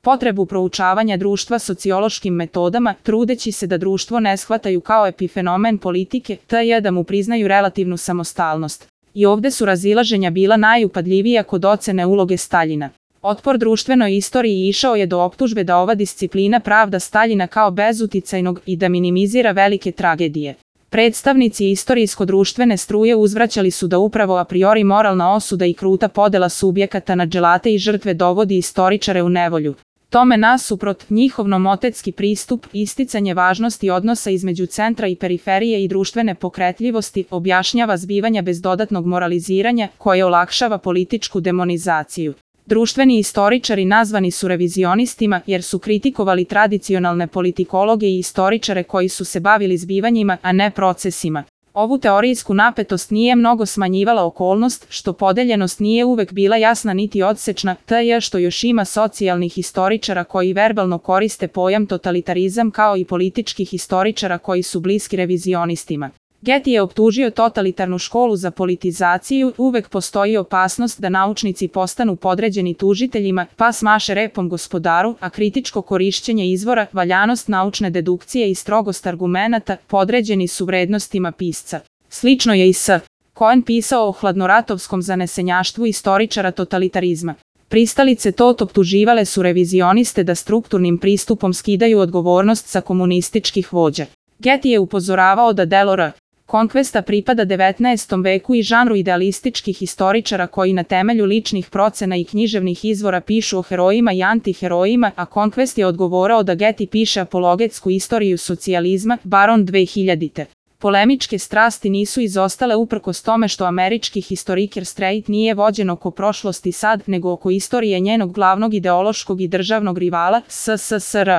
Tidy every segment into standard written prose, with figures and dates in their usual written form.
potrebu proučavanja društva sociološkim metodama, trudeći se da društvo ne shvataju kao epifenomen politike, te da mu priznaju relativnu samostalnost. I ovde su razilaženja bila najupadljivija kod ocene uloge Staljina. Otpor društvenoj istoriji išao je do optužbe da ova disciplina pravda Staljina kao bezuticajnog i da minimizira velike tragedije. Predstavnici istorijsko-društvene struje uzvraćali su da upravo a priori moralna osuda i kruta podela subjekata na dželate i žrtve dovodi istoričare u nevolju. Tome nasuprot, njihov nomotetski pristup, isticanje važnosti odnosa između centra i periferije i društvene pokretljivosti objašnjava zbivanja bez dodatnog moraliziranja koje olakšava političku demonizaciju. Društveni istoričari nazvani su revizionistima jer su kritikovali tradicionalne politikologe i istoričare koji su se bavili zbivanjima, a ne procesima. Ovu teorijsku napetost nije mnogo smanjivala okolnost što podeljenost nije uvek bila jasna niti odsečna, te što još ima socijalnih istoričara koji verbalno koriste pojam totalitarizam kao i političkih istoričara koji su bliski revizionistima. Getty je optužio totalitarnu školu za politizaciju, uvek postoji opasnost da naučnici postanu podređeni tužiteljima, pa smaše repom gospodaru, a kritičko korišćenje izvora, valjanost naučne dedukcije i strogost argumenata podređeni su vrednostima pisca. Slično je i s. Cohen pisao o hladnoratovskom zanesenjaštvu istoričara totalitarizma. Pristalice optuživale su revizioniste da strukturnim pristupom skidaju odgovornost sa komunističkih vođa. Getty je upozoravao da delo R. Konkvesta pripada 19. veku i žanru idealističkih istoričara koji na temelju ličnih procena i književnih izvora pišu o herojima i antiherojima, a Konkvest je odgovorao da Getty piše apologetsku istoriju socijalizma, Baron 2000. Polemičke strasti nisu izostale uprkos tome što američki historiker Strait nije vođen oko prošlosti sad, nego oko istorije njenog glavnog ideološkog i državnog rivala, SSSR.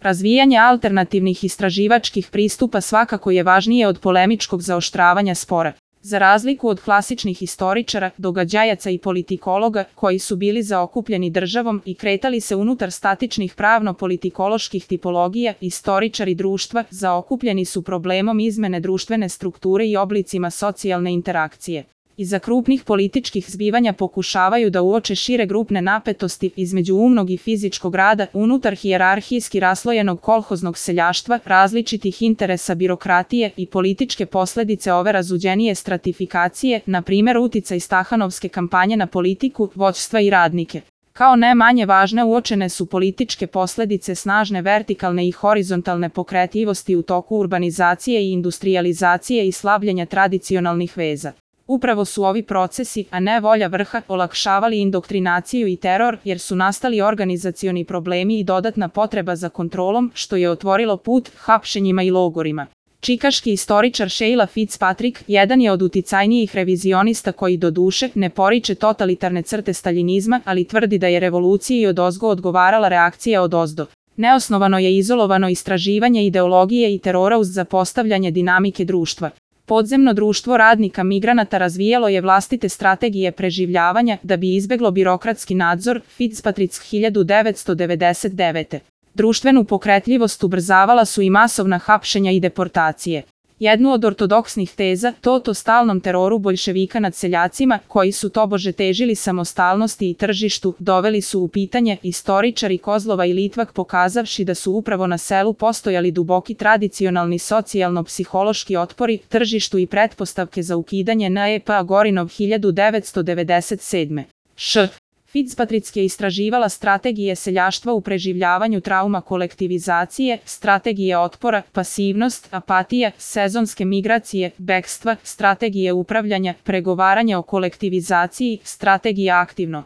Razvijanje alternativnih istraživačkih pristupa svakako je važnije od polemičkog zaoštravanja spora. Za razliku od klasičnih istoričara, događajaca i politikologa, koji su bili zaokupljeni državom i kretali se unutar statičnih pravno-politikoloških tipologija, istoričari društva zaokupljeni su problemom izmene društvene strukture i oblicima socijalne interakcije. Iza krupnih političkih zbivanja pokušavaju da uoče šire grupne napetosti između umnog i fizičkog rada unutar hijerarhijski raslojenog kolhoznog seljaštva, različitih interesa birokratije i političke posledice ove razuđenije stratifikacije, na primjer uticaj Stahanovske kampanje na politiku, vođstva i radnike. Kao ne manje važne uočene su političke posledice snažne vertikalne i horizontalne pokretljivosti u toku urbanizacije i industrijalizacije i slabljenja tradicionalnih veza. Upravo su ovi procesi, a ne volja vrha, olakšavali indoktrinaciju i teror jer su nastali organizacioni problemi i dodatna potreba za kontrolom, što je otvorilo put hapšenjima i logorima. Čikaški istoričar Sheila Fitzpatrick jedan je od uticajnijih revizionista koji doduše ne poriče totalitarne crte staljinizma, ali tvrdi da je revoluciji odozgo odgovarala reakcija odozdo. Neosnovano je izolovano istraživanje ideologije i terora uz zapostavljanje dinamike društva. Podzemno društvo radnika migranata razvijalo je vlastite strategije preživljavanja da bi izbeglo birokratski nadzor, Fitzpatrick 1999. Društvenu pokretljivost ubrzavala su i masovna hapšenja i deportacije. Jednu od ortodoksnih teza, o stalnom teroru boljševika nad seljacima, koji su tobože težili samostalnosti i tržištu, doveli su u pitanje istoričari Kozlova i Litvak pokazavši da su upravo na selu postojali duboki tradicionalni socijalno-psihološki otpori, tržištu i pretpostavke za ukidanje NEP Gorinov 1997. Fitzpatrick je istraživala strategije seljaštva u preživljavanju trauma kolektivizacije, strategije otpora, pasivnost, apatija, sezonske migracije, bekstva, strategije upravljanja, pregovaranja o kolektivizaciji, strategija aktivno